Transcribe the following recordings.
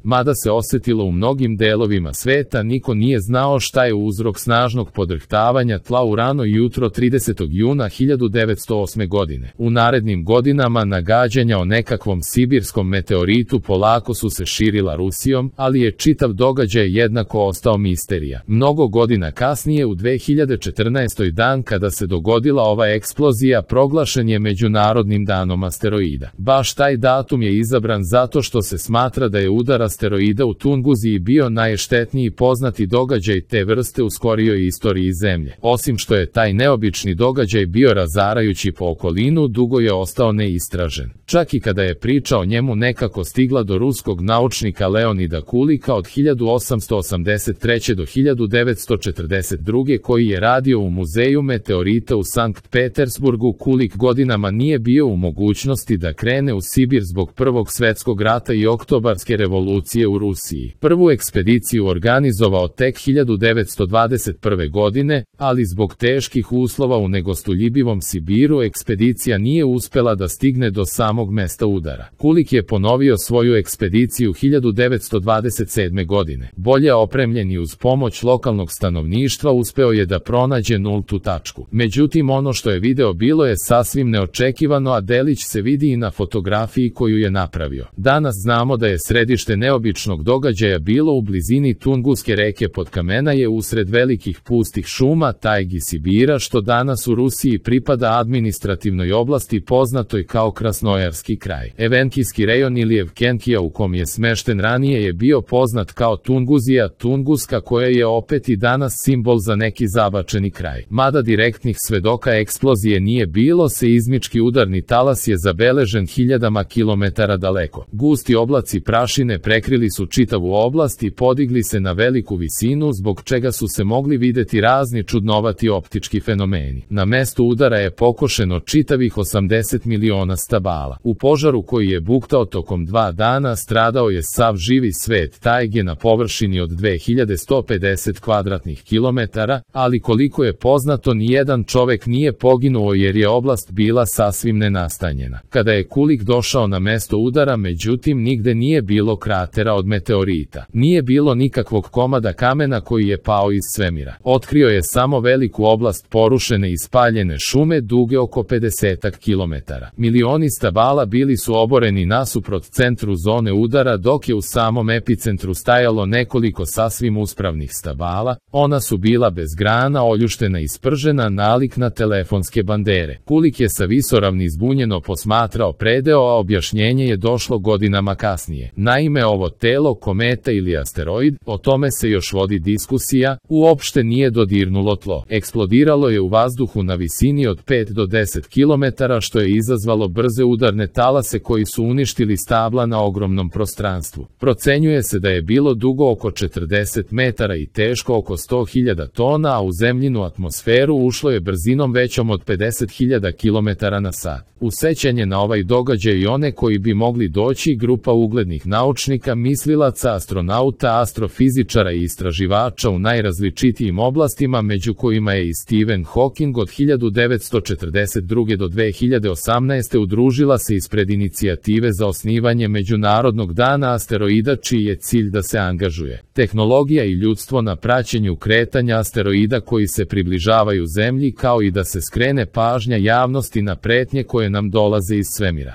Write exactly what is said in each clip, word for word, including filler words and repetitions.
Mada se osjetilo u mnogim delovima sveta, niko nije znao šta je uzrok snažnog podrhtavanja tla u rano jutro tridesetog juna hiljadu devetsto osme. godine. U narednim godinama nagađanja o nekakvom sibirskom meteoritu polako su se širila Rusijom, ali je čitav događaj jednako ostao misterija. Mnogo godina kasnije, u dve hiljade četrnaestoj. dan kada se dogodila ova eksplozija proglašen je Međunarodnim danom asteroida. Baš taj datum je izabran zato što se smatra da je udar asteroida u Tunguziji bio najštetniji poznati događaj te vrste u skorijoj istoriji Zemlje. Osim što je taj neobični događaj bio razarajući po okolinu, dugo je ostao neistražen. Čak i kada je priča o njemu nekako stigla do ruskog naučnika Leonida Kulika od hiljadu osamsto osamdeset treće. do hiljadu devetsto četrdeset druge. koji je radio u Muzeju meteorita u Sankt Petersburgu, Kulik godinama nije bio u mogućnosti da krene u Sibir zbog Prvog svetskog rata i Oktobarske revolucije u Rusiji. Prvu ekspediciju organizovao tek hiljadu devetsto dvadeset prve. godine, ali zbog teških uslova u negostoljubivom Sibiru ekspedicija nije uspela da stigne do samog mesta udara. Kulik je ponovio svoju ekspediciju hiljadu devetsto dvadeset sedme. godine. Bolje opremljen i uz pomoć lokalnog stanovništva uspeo je da pronađe nultu tačku. Međutim, ono što je video bilo je sasvim neočekivano, a delić se vidi i na fotografiji koju je napravio. Danas znamo da je središte neobičnog događaja bilo u blizini Tunguske reke Podkamenaje usred velikih pustih šuma, tajgi Sibira, što danas u Rusiji pripada administrativnoj oblasti poznatoj kao Krasnojarski kraj. Evenkijski rejon ili Evkenkija u kom je smešten ranije je bio poznat kao Tunguzija, Tunguska, koja je opet i danas simbol za neki zabačeni kraj. Mada direktnih svedoka eksplozije nije bilo, seizmički udarni talas je zabeležen hiljadama kilometara daleko. Gusti oblaci prašine prekrili su čitavu oblast i podigli se na veliku visinu, zbog čega su se mogli videti razni čudnovati optički fenomeni. Na mestu udara je pokošeno čitavih osamdeset miliona stabala. U požaru koji je buktao tokom dva dana stradao je sav živi svet tajge na površini od dve hiljade sto pedeset kvadratnih kilometara, ali koliko je poznato nijedan čovek nije poginuo jer je oblast bila sasvim nenastanjena. Kada je Kulik došao na mesto udara, međutim nigde nije bilo kratera od meteorita. Nije bilo nikakvog komada kamena koji je pao iz svemira. Otkrio je samo veliku oblast porušene i spaljene šume duge oko pedesetak kilometara. Milioni stabala bili su oboreni nasuprot centru zone udara, dok je u samom epicentru stajalo nekoliko sasvim uspravnih stabala. Ona su bila bez grana, oljuštena i spržena, nalik na telefonske bandere. Kulik je sa visoravni zbunjeno posmatrao predeo, a objašnjenje je došlo godinama kasnije. Naime, ovo telo, kometa ili asteroid, o tome se još vodi diskusija, uopšte nije dodirnulo tlo. Eksplodiralo je u vazduhu na visini od pet do deset kilometara, što je izazvalo brze udarne talase koji su uništili stabla na ogromnom prostranstvu. Procenjuje se da je bilo dugo oko četrdeset metara i teško oko sto hiljada tona, a u zemljinu atmosferu ušlo je brzinom većom od pedeset hiljada kilometara na sat. U sećanje na ovaj događaj i one koji bi mogli doći, grupa uglednih naučnika, mislilaca, astronauta, astrofizičara i istraživača u najrazličitijim oblastima, među kojima je i Stephen Hawking, od hiljadu devetsto četrdeset druge. do dve hiljade osamnaeste. udružila se ispred inicijative za osnivanje Međunarodnog dana asteroida, čiji je cilj da se angažuje tehnologija i ljudstvo na praćenju kretanja asteroida koji se približavaju Zemlji, kao i da se skrene pažnja javnosti na pretnje koje nam dolaze iz svemira.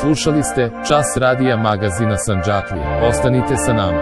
Slušali ste Čas radija magazina Sandžaklija. Ostanite sa nama.